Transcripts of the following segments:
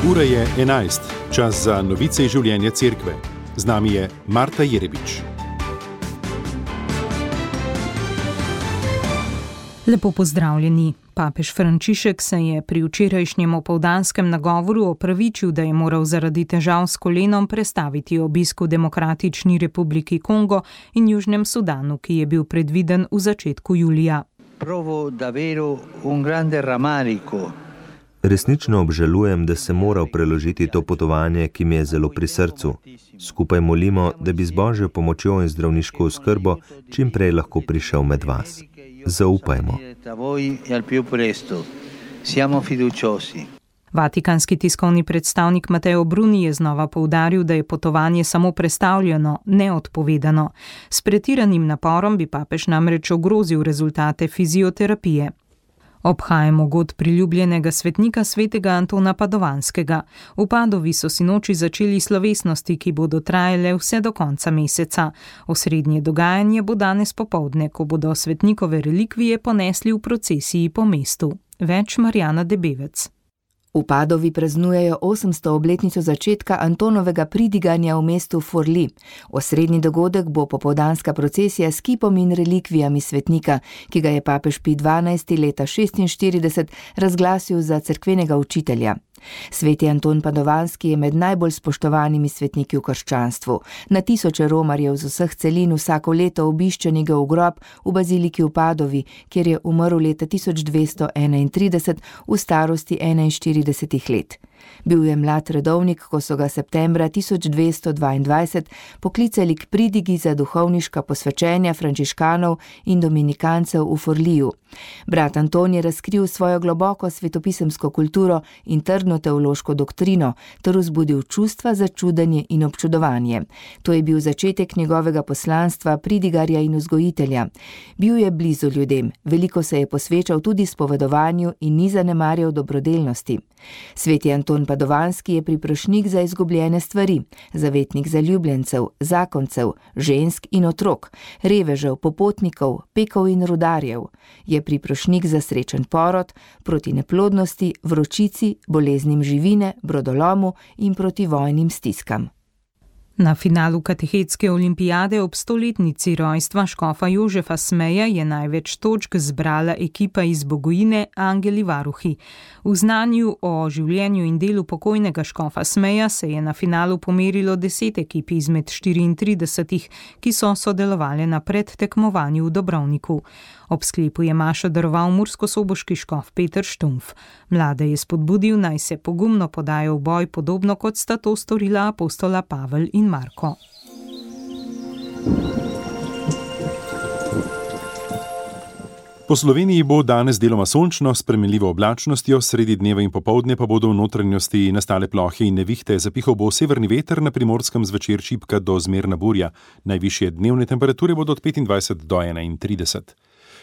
Ura je 11, čas za novice iz življenja cerkve. Z nami je Marta Jerebič. Lepo pozdravljeni. Papež Frančišek se je pri včerajšnjem opoldanskem nagovoru opravičil, da je moral zaradi težav s kolenom prestaviti obisk v Demokratični republiki Kongo in Južnem Sudanu, ki je bil predviden v začetku julija. Resnično obžalujem, da sem moral preložiti to potovanje, ki mi je zelo pri srcu. Skupaj molimo, da bi z Božjo pomočjo in zdravniško oskrbo čim prej lahko prišel med vas. Zaupajmo. Vatikanski tiskovni predstavnik Matteo Bruni je znova poudaril, da je potovanje samo prestavljeno, ne odpovedano. S pretiranim naporom bi papež namreč ogrozil rezultate fizioterapije. Obhajamo god priljubljenega svetnika svetega Antona Padovanskega. V Padovi so sinoči začeli slovesnosti, ki bodo trajale vse do konca meseca. Osrednje dogajanje bo danes popoldne, ko bodo svetnikove relikvije ponesli v procesiji po mestu. Več Marjana Debevec. V Padovi praznujejo 800. obletnico začetka Antonovega pridiganja v mestu Forli. Osrednji dogodek bo popoldanska procesija s kipom in relikvijami svetnika, ki ga je papež Pij XII. Leta 1946 razglasil za cerkvenega učitelja. Sveti Anton Padovanski je med najbolj spoštovanimi svetniki v krščanstvu. Na tisoče romarjev z vseh celin vsako leto obišče njegov grob v baziliki v Padovi, kjer je umrl leta 1231 v starosti 41 let. Bil je mlad redovnik, ko so ga septembra 1222 poklicali k pridigi za duhovniška posvečenja frančiškanov in dominikancev v Forliju. Brat Anton je razkril svojo globoko svetopisemsko kulturo in trdno teološko doktrino ter vzbudil čustva za čudenje in občudovanje. To je bil začetek njegovega poslanstva pridigarja in vzgojitelja. Bil je blizu ljudem, veliko se je posvečal tudi spovedovanju in ni zanemarjal dobrodelnosti. Sveti Anton Padovanski je priprošnik za izgubljene stvari, zavetnik zaljubljencev, zakoncev, žensk in otrok, revežev, popotnikov, pekov in rudarjev. Je priprošnik za srečen porod, proti neplodnosti, vročici, boleznim živine, brodolomu in proti vojnim stiskam. Na finalu katehetske olimpijade ob 100-letnici rojstva škofa Jožefa Smeja je največ točk zbrala ekipa iz Bogojine Angeli Varuhi. V znanju o življenju in delu pokojnega škofa Smeja se je na finalu pomerilo 10 ekip izmed 34, ki so sodelovali na predtekmovanju v Dobrovniku. Ob sklepu je mašo daroval murskosoboški škof Peter Štumpf. Mlade je spodbudil, naj se pogumno podajo v boj, podobno kot sta to storila apostola Pavel in Marko. Po Sloveniji bo danes deloma sončno s spremenljivo oblačnostjo, sredi dneva in popoldne pa bodo v notranjosti nastale plohe in nevihte, zapihal bo severni veter, na Primorskem zvečer šibka do zmerna burja. Najvišje dnevne temperature bodo od 25 do 31.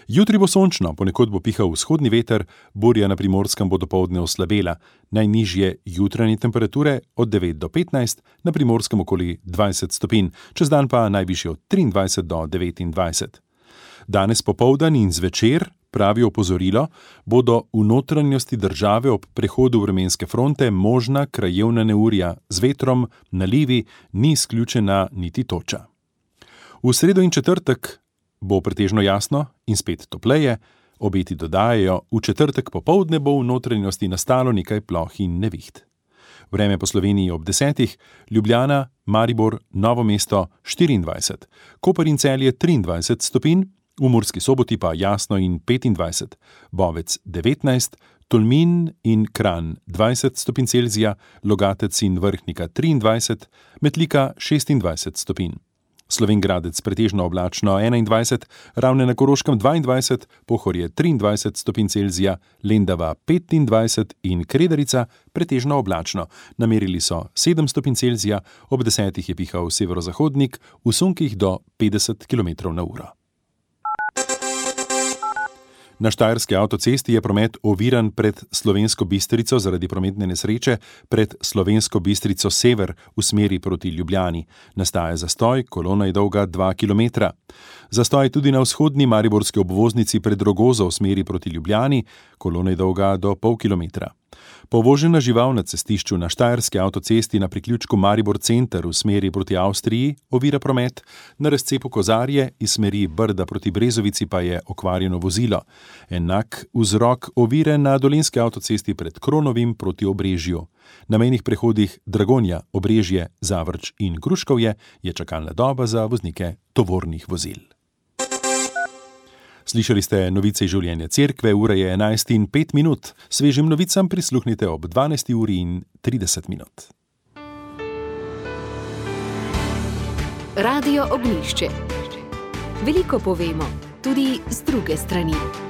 Jutri bo sončno, ponekod bo pihal vzhodni veter, burja na Primorskem bo dopoldne oslabela. Najnižje jutranje temperature od 9 do 15, na Primorskem okoli 20 stopinj, čez dan pa najvišje od 23 do 29. Danes popoldan in zvečer, pravi opozorilo, bodo v notranjosti države ob prehodu vremenske fronte možna krajevna neurja z vetrom, nalivi, ni izključena niti toča. V sredo in četrtek bo pretežno jasno in spet topleje, obeti dodajajo, v četrtek popoldne bo v notranjosti nastalo nekaj ploh in neviht. Vreme po Sloveniji ob 10, Ljubljana, Maribor, Novo mesto 24, Koper in Celje 23 stopinj, v Murski Soboti pa jasno in 25, Bovec 19, Tolmin in Kranj 20 stopinj Celzija, Logatec in Vrhnika 23, Metlika 26 stopinj. Slovenj Gradec pretežno oblačno 21, Ravne na Koroškem 22, Pohorje 23 stopinj Celzija, Lendava 25 in Kredarica pretežno oblačno. Namerili so 7 stopinj Celzija, ob 10 je pihal severozahodnik, v sunkih do 50 km/h. Na štajerski avtocesti je promet oviran pred Slovensko Bistrico zaradi prometne nesreče pred Slovensko Bistrico sever v smeri proti Ljubljani. Nastaja zastoj, kolona je dolga 2 km. Zastoj tudi na vzhodni mariborski obvoznici pred Rogozo v smeri proti Ljubljani, kolona je dolga do pol kilometra. Povožena žival na cestišču na Štajerski avtocesti na priključku Maribor Center v smeri proti Avstriji ovira promet, na razcepu Kozarje iz smeri Brda proti Brezovici pa je okvarjeno vozilo. Enak vzrok ovire na Dolenjski avtocesti pred Kronovim proti Obrežju. Na mejnih prehodih Dragonja, Obrežje, Zavrč in Gruškovje je čakalna doba za voznike tovornih vozil. Slišali ste novice iz življenja cerkve, ura je 11:05. Svežim novicam prisluhnite ob 12:30. Radio Ognjišče. Veliko povemo, tudi z druge strani.